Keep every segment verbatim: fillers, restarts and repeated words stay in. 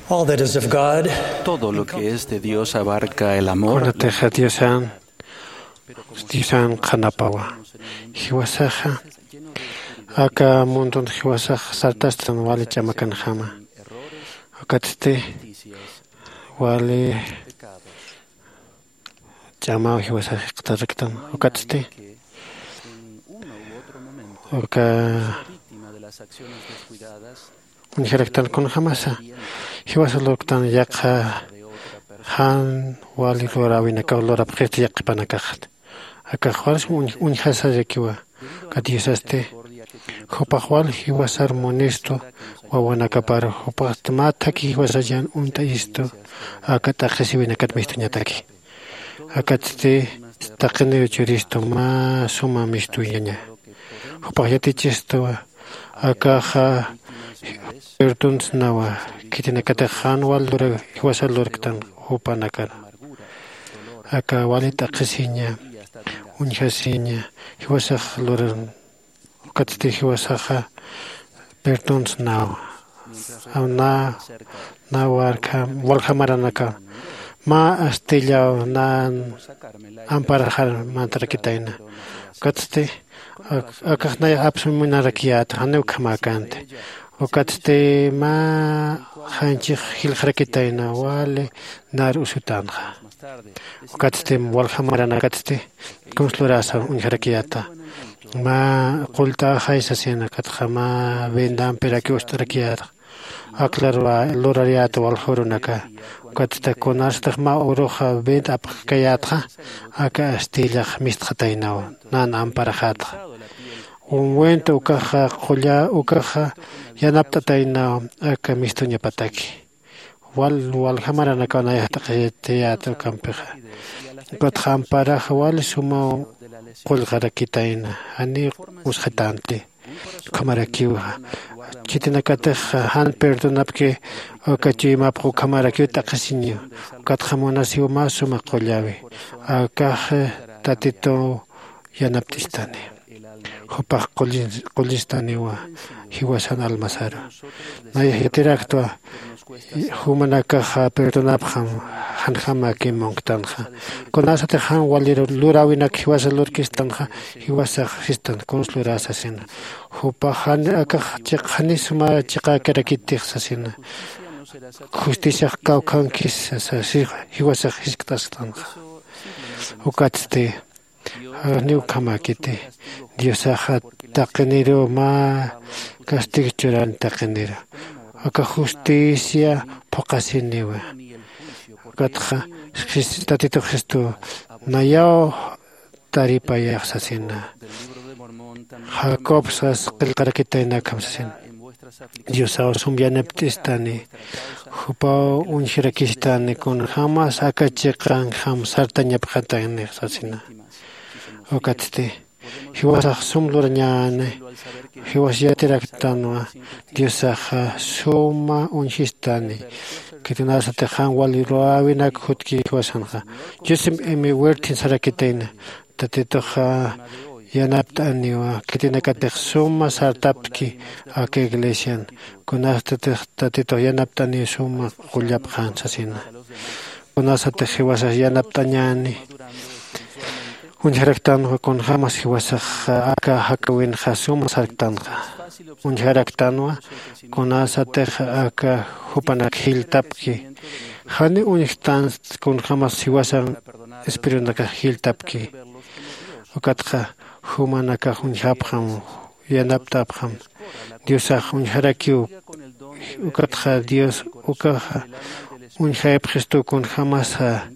All that is of God. Todo lo que es de Dios abarca el amor. Kunatixa Diosan, Diosan qhanapawa. Jiwasaxa aka mundun jiwasax sartastan wali ch'amakanjama. Ukatsti wali ch'amaw jiwasax jikxtaraktan. Ukatsti uka uñjaraktan kunjamasa jiwasa lurktan yaqha jan wali lurawinakaw lurapxisti yaqhipanakaxti. Akax wals uñjasarakiwa. Ukat diosasti jupax wal jiwasar munistu wawanakapar. Jupaxsti mä thakhi jiwasar yan uñt'ayistu aka t'aqhisiwinakat mistuñataki. Akatsti taqiniw churistu mä suma mistuñaña. Jupax yatichistuwa akaxa perdonsnawa khitinakatix jan wal jiwasar lurktan jupanakar. Aka wali t'aqhisiña uñjasiña jiwasax luran. Ukatsti jiwasaxa perdonsnawa na na waljamaranaka mä astillaw nan amparaxar mantarakitayna. Ukatsti akax nayax apsuminarakiyäta janiw ukhamäkänti. Ukatsti mä janchix jilxarakitayna wali nar usutänxa. Ukatsti waljamaranakatsti kunsa lurasa uñjarakiyäta mä qullt'axay sasina ukatxa mä venda ampiraki ust'arakiyäta. Aklar lurariyäta waljurunaka. Ukatsti kunasatix mä uruxa venda apxkayätxa aka astillax mistxataynaw nan amparaxätxa. Ungüent ukaxa qulla ukaxa yanapt'ataynaw aka mistuñapataki. Wal waljamaranakaw nayax t'aqhitayäta ukampixa. Ukatxa amparaxa wali sumaw qullqarakitayna janiw usxitänti. Ukhamarakiwa khitinakatix jan perdonapki uka chuymapx ukhamarakiw t'aqhisiñiw. Ukatxa munasiw mä suma qullawi akax tatituw yanapt'istani. Jupax qullistaniwa jiwasan almasaru. Nayax yatiraktwa jumanakaxa perdonapxam janjamaki munktanxa. Kunasatix jan wali luräwinak jiwasa lurkistanxa jiwasax sistan kunsa lurä sasina. Jupax jan akax chiq jani suma chiqäkarakitix sasina. Justiciax kawkhankis sasa jiwasax jiskt'asktanxa. Ukatsti janiw ukhamäkiti. Diosaxa taqiniruw mä castigo churani taqiniru. Aka justicia phuqhasiniwa. Ukatxa tatitux jistu nayaw taripayax sasina. Jacob sas qillqarakitayna akham sasina. Diosaw sum yanapt'istani. Jupaw uñjirakistani kunjämas aka chiqanjam sartañapxatanix sasina. Ukatsti jiwasax sum lurañäni. Jiwas yatiraktanwa diosaxa suma uñjistani. Khitinasatix jan wali luräwinak jutki jiwasanxa. Joseph m werthin sarakitayna. Tatituxa yanapt'aniwa khitinakatix suma sartapki aka iglesian. Kunastatix tatitux yanapt'aniw suma qullapxän sasina. Kunasatix jiwasax yanapt'añäni uñjaraktanwa kunjämas jiwasax aka jakäwinxa suma sarktanxa. Uñjaraktanwa kunasatix aka jupanak jilltapki. Jani uñjtansti kunjämas jiwasan espirunakax jilltapki. Ukatxa jumanakax uñjapxam yanapt'apxam. Diosax uñjarakiw. Ukatxa dios ukaxa uñjayapxistu kunjämasa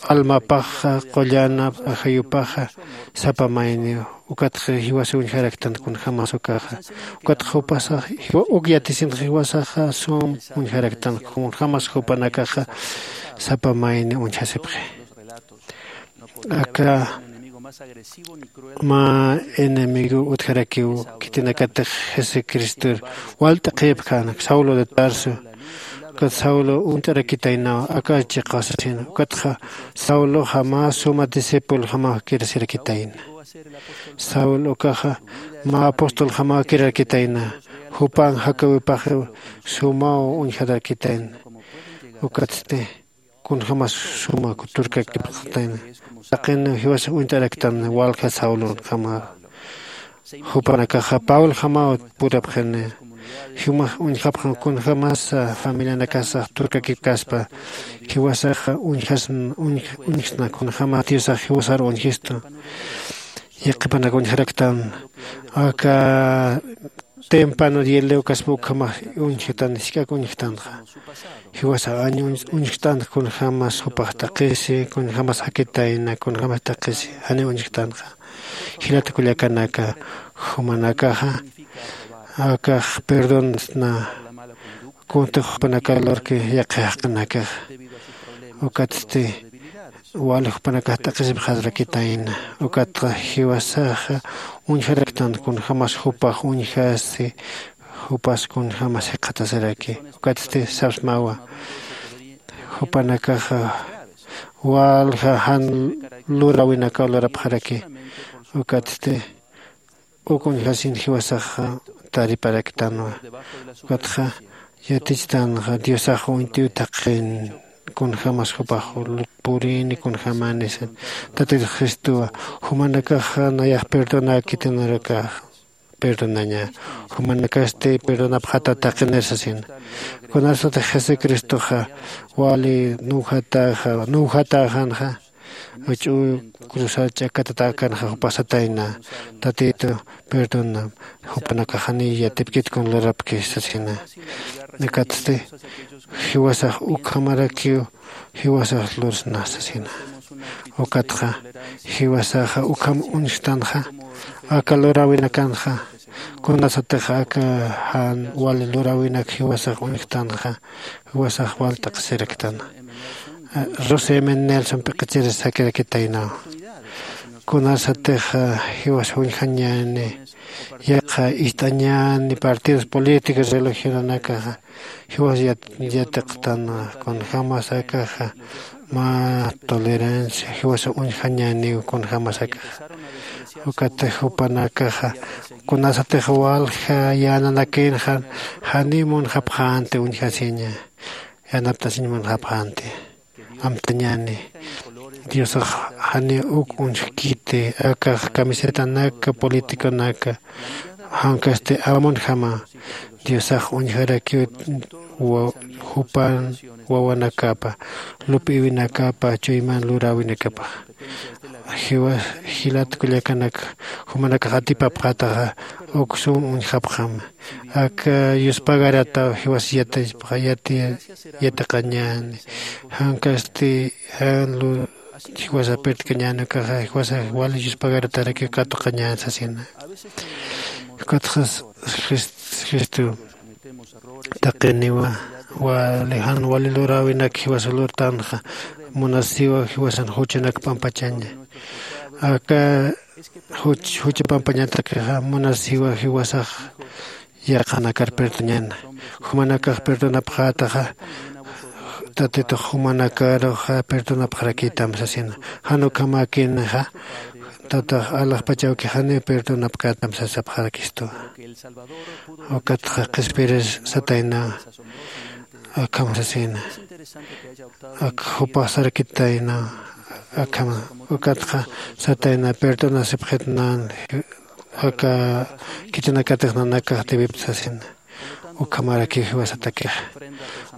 almapaxa qullanap ajayupaxa sapa mayniw. Ukatxa jiwasa uñjaraktan kunjämas ukaxa. Ukatxa jupasax uk yatisinxa jiwasaxa sum uñjaraktan kunjämas jupanakaxa sapa mayni uñjasipxi. Aka mä enemigo utjarakiw khitinakatix jesucristor walt'aqhipkän saulo de tarso. Ukat saulo uñt'arakitaynaw aka chiqa sasina. Ukatxa sauloxa mä suma discipuljamaw kirasirakitayna. Saulo ukaxa mä apostoljamaw kirarakitayna. jupan jakäwipaxiw sumaw uñjatarakitayna. Ukatsti kunjämas suma turkakipxatayna. Taqin jiwasa uñt'araktan walja saulonjama. Jupanakaxa pablojamaw purapxini. Jumax uñjapxam kunjämasa familianakasax turkakipkaspa jiwasaxa uñjasna uñjsna kunjämas diosax jiwasar uñjistu. Yaqhipanak uñjaraktan aka tempano dielewkaspa ukhamax uñjtan jisk'ak uñjtanxa. Jiwasax añ uñjt'anxa kunjämas jupax taqisi kunjämas jakitayna kunjämas taqisi janiw uñjtanxa. Jilata kullakanaka, jumanakaxa akax perdonsna kuntix jupanakar lurki yaqhi jaqinakaxa. Ukatsti wali jupanakax t'aqhisipxarakitayna. Ukatxa jiwasaxa uñjaraktan kunjämas jupax uñjasi jupas kunjämas jikxatasiraki. Ukatsti sapsmawa jupanakaxa walja jan luräwinakaw lurapxaraki. Ukatsti uk uñjasin jiwasaxa tariparaktanwa. Ukatxa yatichtanxa diosax uñt'iw taqin kunjämas jupax purini kunjämani. Tatit jesucristowa jumanakaxa nayax perdonäkitinarakax perdonaña. Jumanakasti perdonapxata taqinir sasina. Kunasatix jesucristoxa wali nuwjatäxa nuwjatäxänxa uch'u cruzar ch'akatatäkänxa jupax satayna tatitu perdona jupanakax janiy yatipkit kun lurapki sasina. Ukatsti jiwasax ukhamarakiw jiwasax lursna sasina. Ukatxa jiwasaxa ukham uñjtanxa aka luräwinakanxa kunasatix aka jan wali luräwinak jiwasax uñjtanxa jiwasax wal t'aqhisiraktan. Rose men nelson p'iqichir sakirakitaynaw kunasatix jiwas uñjañäni yaqha ist'añäni partidos políticos religionanakaxa jiwas yatiqtan kunjämas akaxa mä tolerancia jiwas uñjañäniw kunjämas akaxa. Ukatix jupanakaxa kunasatix walja yänanakïnxa janiw munxapxänti uñjasiña yanapt'asiñ munxapxänti. Amtañäni diosax janiw uk uñjkiti akax camisetanaka politiconaka jankasti amunjama diosax uñjarakiw jupan wawanakapa lup'iwinakapa chuyman luräwinakapa. Jiwas jilat kullakanaka jumanakax atipapxataxa uk sum uñjapxam. Aka yuspagarataw jiwas yatiqañäni jankasti jan lu jiwasa pertkañäni ukaxa jiwasa wali yuspagarataraki katuqañäni sasina. Ukatxa jesucristo taqiniwa wali jan wali luräwinak jiwasa lurtanxa munasiwa jiwasan juchanak pampachaña. Aka juch jucha pampañatakixa munasiwa jiwasax yaqhanakar perdoñäna. Jumanakax perdonapxätaxa tatitux jumanakaruxa perdonapxarakïtam sasina. Jan ukhamäkinixa tatax alaxpach awki janiw perdonapkätam sasapxarakistuwa. Ukatxa qhispirir satayna akham sasina. Ak jupax sarakitayna akham ukatxa satayna perdonasipxitnan aka khitinakatix nanakax debipta sasina. Ukhamarakiw jiwasatakixa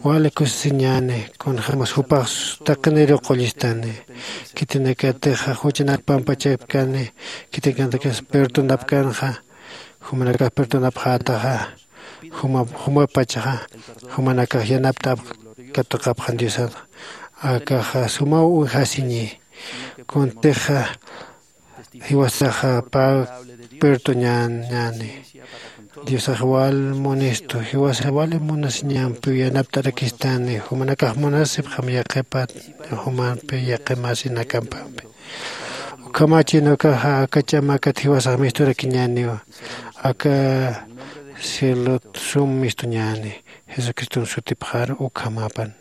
wali kusisiñäni kunjämas jupax taqiniriw qullistani. Khitinakatixa juchanak pampachapkani khitinakatixa perdonapkanxa jumanakax perdonapxätaxa jumapachaxa jumanakax yanapt'apx katuqapxan diosan. Akaxa sumaw uñjasiñi kuntixa jiwasaxa pä perdoñäni. Diosax wal munistu jiwasax wali munasiñampiw yanapt'arakistani jumanakax munasipxam yaqhipat jumampi yaqhimasinakampampi. Ukhamachin ukaxa aka ch'amakat jiwasax misturakiñäniwa aka cielot sum mistuñäni. Jesucriston sutipxar ukhamapan.